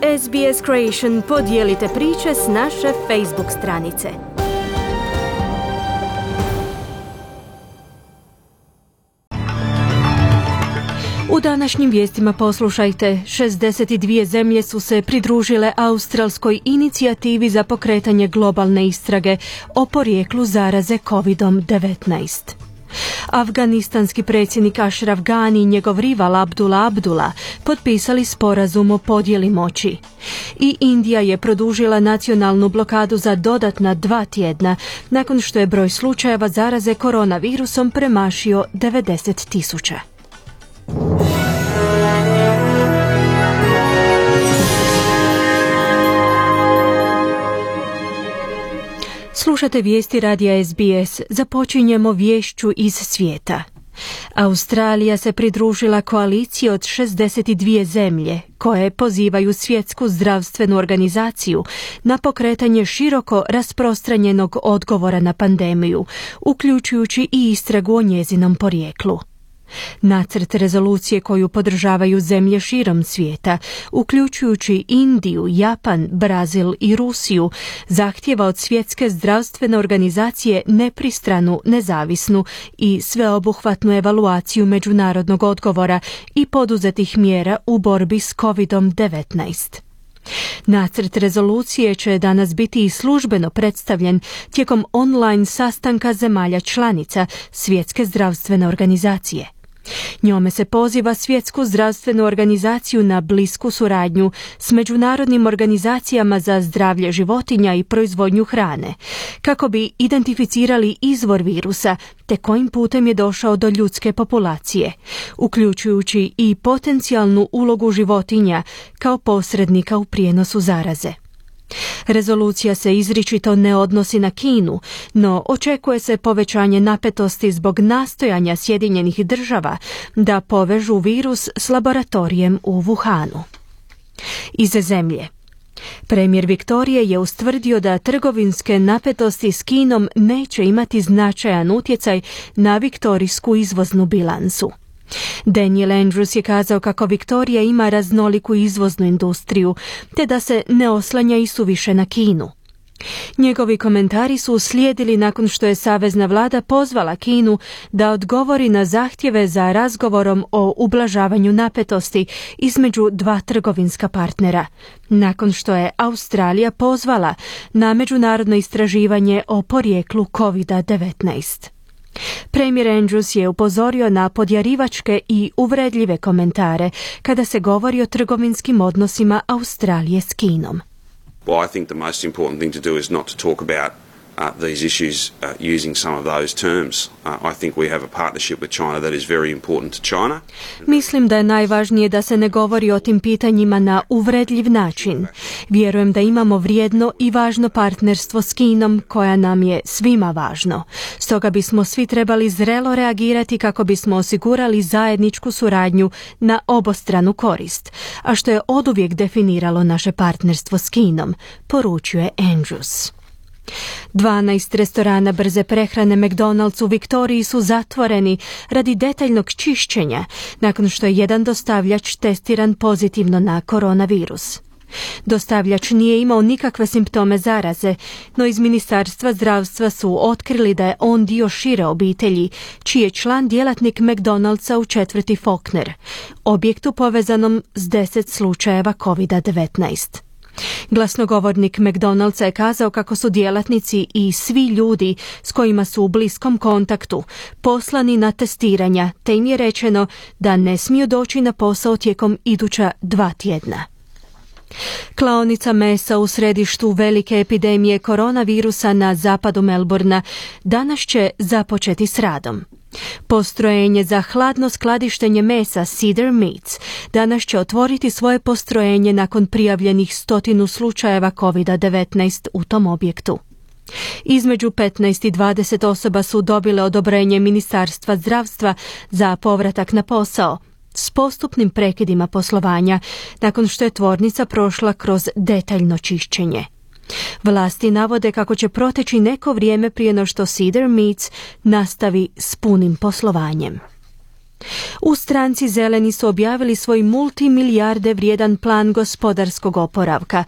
SBS Creation, podijelite priče s naše Facebook stranice. U današnjim vijestima poslušajte, 62 zemlje su se pridružile australskoj inicijativi za pokretanje globalne istrage o porijeklu zaraze COVID-19. Afganistanski predsjednik Ashraf Ghani i njegov rival Abdullah potpisali sporazum o podjeli moći. I Indija je produžila nacionalnu blokadu za dodatna 2 tjedna nakon što je broj slučajeva zaraze koronavirusom premašio 90.000. Slušate vijesti radija SBS. Započinjemo viješću iz svijeta. Australija se pridružila koaliciji od 62 zemlje koje pozivaju Svjetsku zdravstvenu organizaciju na pokretanje široko rasprostranjenog odgovora na pandemiju, uključujući i istragu o njezinom porijeklu. Nacrt rezolucije koju podržavaju zemlje širom svijeta, uključujući Indiju, Japan, Brazil i Rusiju, zahtijeva od Svjetske zdravstvene organizacije nepristranu, nezavisnu i sveobuhvatnu evaluaciju međunarodnog odgovora i poduzetih mjera u borbi s COVID-19. Nacrt rezolucije će danas biti i službeno predstavljen tijekom online sastanka zemalja članica Svjetske zdravstvene organizacije. Njome se poziva Svjetsku zdravstvenu organizaciju na blisku suradnju s međunarodnim organizacijama za zdravlje životinja i proizvodnju hrane, kako bi identificirali izvor virusa te kojim putem je došao do ljudske populacije, uključujući i potencijalnu ulogu životinja kao posrednika u prijenosu zaraze. Rezolucija se izričito ne odnosi na Kinu, no očekuje se povećanje napetosti zbog nastojanja Sjedinjenih država da povežu virus s laboratorijem u Wuhanu. Iz zemlje. Premijer Viktorije je ustvrdio da trgovinske napetosti s Kinom neće imati značajan utjecaj na viktorijsku izvoznu bilansu. Daniel Andrews je kazao kako Viktorija ima raznoliku izvoznu industriju, te da se ne oslanja i suviše na Kinu. Njegovi komentari su uslijedili nakon što je savezna vlada pozvala Kinu da odgovori na zahtjeve za razgovorom o ublažavanju napetosti između dva trgovinska partnera, nakon što je Australija pozvala na međunarodno istraživanje o porijeklu COVID-19. Premijer Andrews je upozorio na podjarivačke i uvredljive komentare kada se govori o trgovinskim odnosima Australije s Kinom. Well, I think the most important thing to do is not to talk about these issues using some of those terms. I think we have a partnership with China that is very important to China. Mislim da je najvažnije da se ne govori o tim pitanjima na uvredljiv način. Vjerujem da imamo vrijedno i važno partnerstvo s Kinom koja nam je svima važno. Stoga bismo svi trebali zrelo reagirati kako bismo osigurali zajedničku suradnju na obostranu korist, a što je oduvijek definiralo naše partnerstvo s Kinom, poručuje Andrews. 12 restorana brze prehrane McDonald's u Viktoriji su zatvoreni radi detaljnog čišćenja nakon što je jedan dostavljač testiran pozitivno na koronavirus. Dostavljač nije imao nikakve simptome zaraze, no iz Ministarstva zdravstva su otkrili da je on dio šire obitelji, čiji je član djelatnik McDonald'sa u četvrti Faulkner, objektu povezanom s 10 slučajeva COVID-19. Glasnogovornik McDonald'sa je kazao kako su djelatnici i svi ljudi s kojima su u bliskom kontaktu poslani na testiranja, te im je rečeno da ne smiju doći na posao tijekom iduća 2 tjedna. Klaonica mesa u središtu velike epidemije koronavirusa na zapadu Melbourna danas će započeti s radom. Postrojenje za hladno skladištenje mesa Cedar Meats danas će otvoriti svoje postrojenje nakon prijavljenih 100 slučajeva COVID-19 u tom objektu. Između 15 i 20 osoba su dobile odobrenje Ministarstva zdravstva za povratak na posao, s postupnim prekidima poslovanja nakon što je tvornica prošla kroz detaljno čišćenje. Vlasti navode kako će proteći neko vrijeme prije no što Cedar Meats nastavi s punim poslovanjem. U stranci Zeleni su objavili svoj multimilijarde vrijedan plan gospodarskog oporavka,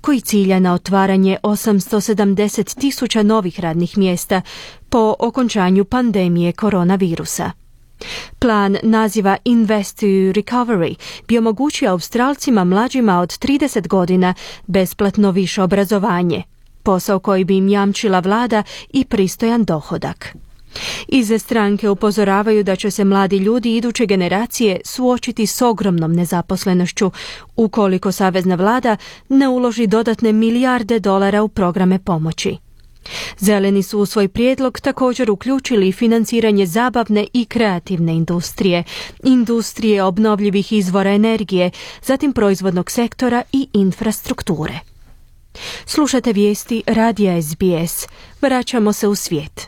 koji cilja na otvaranje 870.000 novih radnih mjesta po okončanju pandemije koronavirusa. Plan naziva Invest to Recovery bi omogućio Australcima mlađima od 30 godina besplatno više obrazovanje, posao koji bi im jamčila vlada i pristojan dohodak. Iz stranke upozoravaju da će se mladi ljudi iduće generacije suočiti s ogromnom nezaposlenošću ukoliko savezna vlada ne uloži dodatne milijarde dolara u programe pomoći. Zeleni su u svoj prijedlog također uključili financiranje zabavne i kreativne industrije, industrije obnovljivih izvora energije, zatim proizvodnog sektora i infrastrukture. Slušate vijesti radija SBS. Vraćamo se u svijet.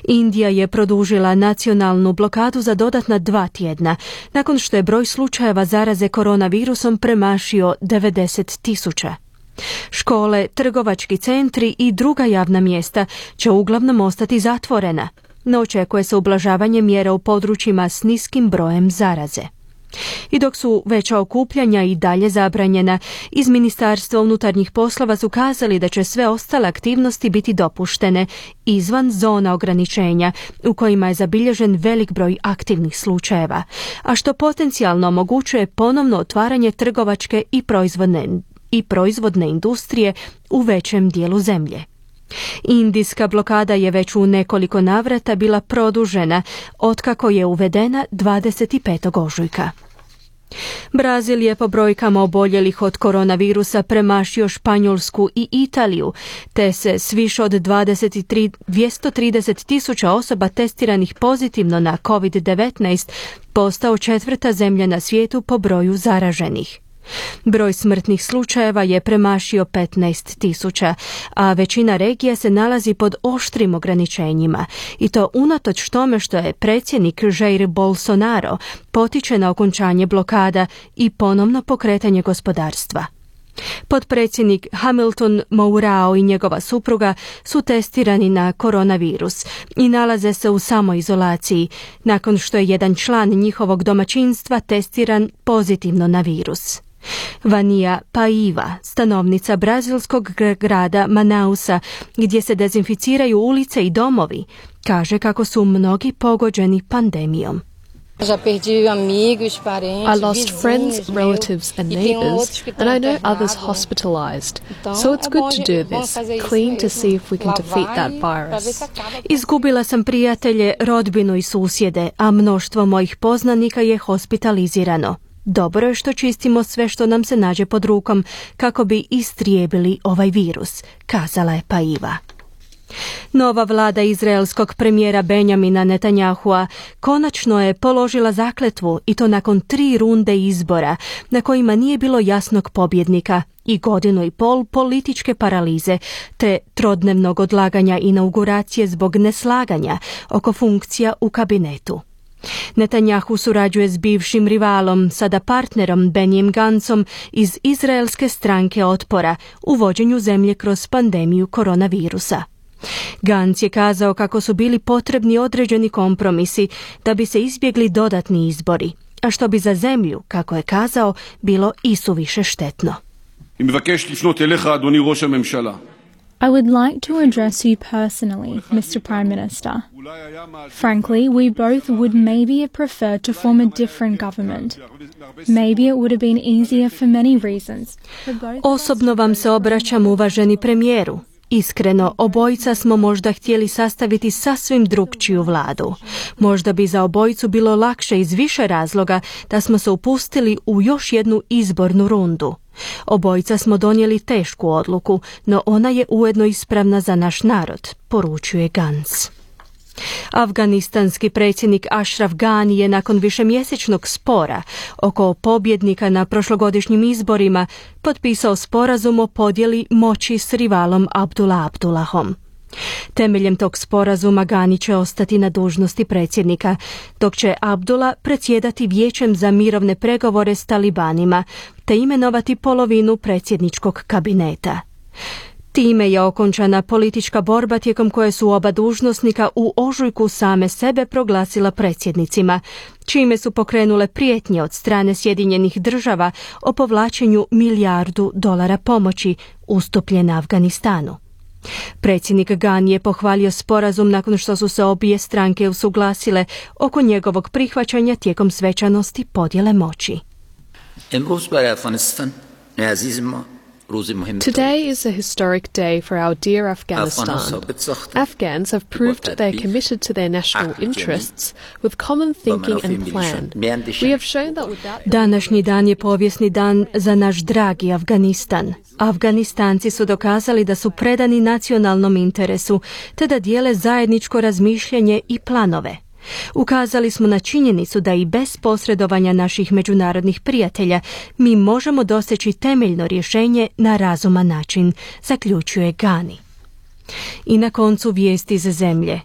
Indija je produžila nacionalnu blokadu za dodatna 2 tjedna, nakon što je broj slučajeva zaraze koronavirusom premašio 90.000. Škole, trgovački centri i druga javna mjesta će uglavnom ostati zatvorena, no očekuje se ublažavanje mjera u područjima s niskim brojem zaraze. I dok su veća okupljanja i dalje zabranjena, iz Ministarstva unutarnjih poslova su kazali da će sve ostale aktivnosti biti dopuštene izvan zona ograničenja u kojima je zabilježen velik broj aktivnih slučajeva, a što potencijalno omogućuje ponovno otvaranje trgovačke i proizvodne industrije u većem dijelu zemlje. Indijska blokada je već u nekoliko navrata bila produžena otkako je uvedena 25. ožujka. Brazil je po brojkama oboljelih od koronavirusa premašio Španjolsku i Italiju, te se s više od 230.000 osoba testiranih pozitivno na COVID-19 postao 4. zemlja na svijetu po broju zaraženih. Broj smrtnih slučajeva je premašio 15.000, a većina regija se nalazi pod oštrim ograničenjima, i to unatoč tome što je predsjednik Jair Bolsonaro potiče na okončanje blokada i ponovno pokretanje gospodarstva. Potpredsjednik Hamilton Mourao i njegova supruga su testirani na koronavirus i nalaze se u samoizolaciji nakon što je jedan član njihovog domaćinstva testiran pozitivno na virus. Vania Paiva, stanovnica brazilskog grada Manausa, gdje se dezinficiraju ulice i domovi, kaže kako su mnogi pogođeni pandemijom. I lost friends, relatives and neighbours, and I know others hospitalized. So it's good to do this, clean to see if we can defeat that virus. Izgubila sam prijatelje, rodbinu i susjede, a mnoštvo mojih poznanika je hospitalizirano. Dobro je što čistimo sve što nam se nađe pod rukom kako bi istrijebili ovaj virus, kazala je Paiva. Nova vlada izraelskog premijera Benjamina Netanyahua konačno je položila zakletvu, i to nakon 3 runde izbora na kojima nije bilo jasnog pobjednika i 1.5 godina političke paralize te trodnevnog odlaganja inauguracije zbog neslaganja oko funkcija u kabinetu. Netanyahu surađuje s bivšim rivalom, sada partnerom Benjim Gancom iz izraelske stranke otpora u vođenju zemlje kroz pandemiju koronavirusa. Gantz je kazao kako su bili potrebni određeni kompromisi da bi se izbjegli dodatni izbori, a što bi za zemlju, kako je kazao, bilo isuviše štetno. I would like to address you personally, Mr. Prime Minister. Frankly, we both would maybe have preferred to form a different government. Maybe it would have been easier for many reasons. Osobno vam se obraćam, uvaženi premijeru. Iskreno, obojica smo možda htjeli sastaviti sasvim drukčiju vladu. Možda bi za obojicu bilo lakše iz više razloga da smo se upustili u još jednu izbornu rundu. Obojica smo donijeli tešku odluku, no ona je ujedno ispravna za naš narod, poručuje Gantz. Afganistanski predsjednik Ashraf Ghani je nakon višemjesečnog spora oko pobjednika na prošlogodišnjim izborima potpisao sporazum o podjeli moći s rivalom Abdullah Abdullahom. Temeljem tog sporazuma Ghani će ostati na dužnosti predsjednika, dok će Abdullah predsjedati vijećem za mirovne pregovore s talibanima te imenovati polovinu predsjedničkog kabineta. Time je okončana politička borba tijekom koje su oba dužnosnika u ožujku same sebe proglasila predsjednicima, čime su pokrenule prijetnje od strane Sjedinjenih država o povlačenju $1 milijardu pomoći ustupljene Afganistanu. Predsjednik Ghani je pohvalio sporazum nakon što su se obje stranke usuglasile oko njegovog prihvaćanja tijekom svečanosti podjele moći. Today is a historic day for our dear Afghanistan. Afghans have proved they are committed to their national interests with common thinking and plan. We have shown that without... Današnji dan je povijesni dan za naš dragi Afganistan. Afganistanci su dokazali da su predani nacionalnom interesu, te da dijele zajedničko razmišljanje i planove. Ukazali smo na činjenicu da i bez posredovanja naših međunarodnih prijatelja mi možemo doseći temeljno rješenje na razuman način, zaključuje Ghani. I na koncu vijesti iz zemlje.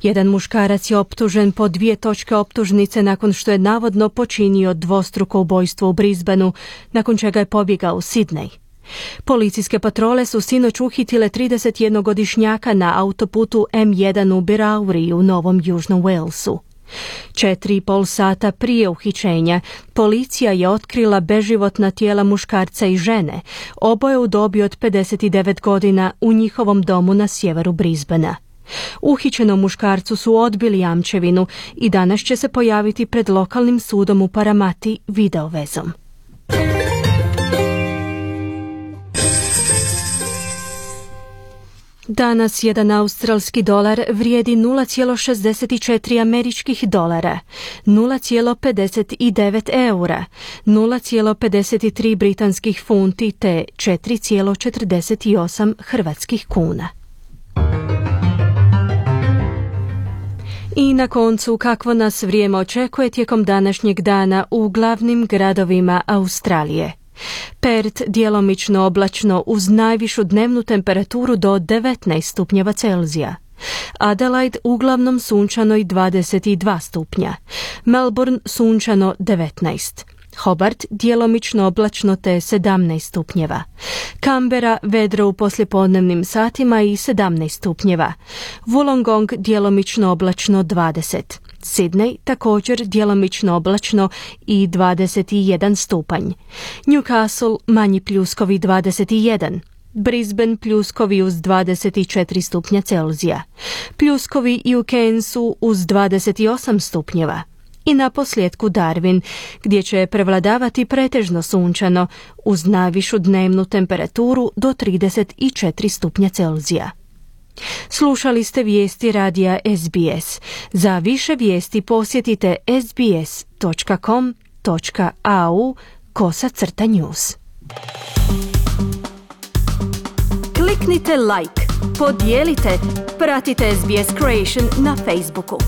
Jedan muškarac je optužen po 2 točke optužnice nakon što je navodno počinio dvostruko ubojstvo u Brisbaneu, nakon čega je pobjegao u Sidney. Policijske patrole su sinoć uhitile 31-godišnjaka na autoputu M1 u Birauri u Novom Južnom Walesu. 4,5 sata prije uhićenja policija je otkrila beživotna tijela muškarca i žene, oboje u dobi od 59 godina u njihovom domu na sjeveru Brisbanea. Uhićenom muškarcu su odbili jamčevinu i danas će se pojaviti pred lokalnim sudom u Paramati videovezom. Danas jedan australski dolar vrijedi 0,64 američkih dolara, 0,59 eura, 0,53 britanskih funti te 4,48 hrvatskih kuna. I na koncu, kakvo nas vrijeme očekuje tijekom današnjeg dana u glavnim gradovima Australije. Perth djelomično oblačno uz najvišu dnevnu temperaturu do 19 stupnjeva Celzija. Adelaide uglavnom sunčano i 22 stupnja. Melbourne sunčano 19. Hobart djelomično oblačno te 17 stupnjeva. Canberra vedro u poslijepodnevnim satima i 17 stupnjeva. Wollongong djelomično oblačno 20. Sydney također djelomično oblačno i 21 stupanj. Newcastle manji pljuskovi 21. Brisbane pljuskovi uz 24 stupnja Celzija. Pljuskovi i u Cairnsu uz 28 stupnjeva. I na posljedku Darwin, gdje će prevladavati pretežno sunčano uz najvišu dnevnu temperaturu do 34 stupnja Celzija. Slušali ste vijesti radija SBS. Za više vijesti posjetite sbs.com.au/news. Kliknite like, podijelite, pratite SBS Creation na Facebooku.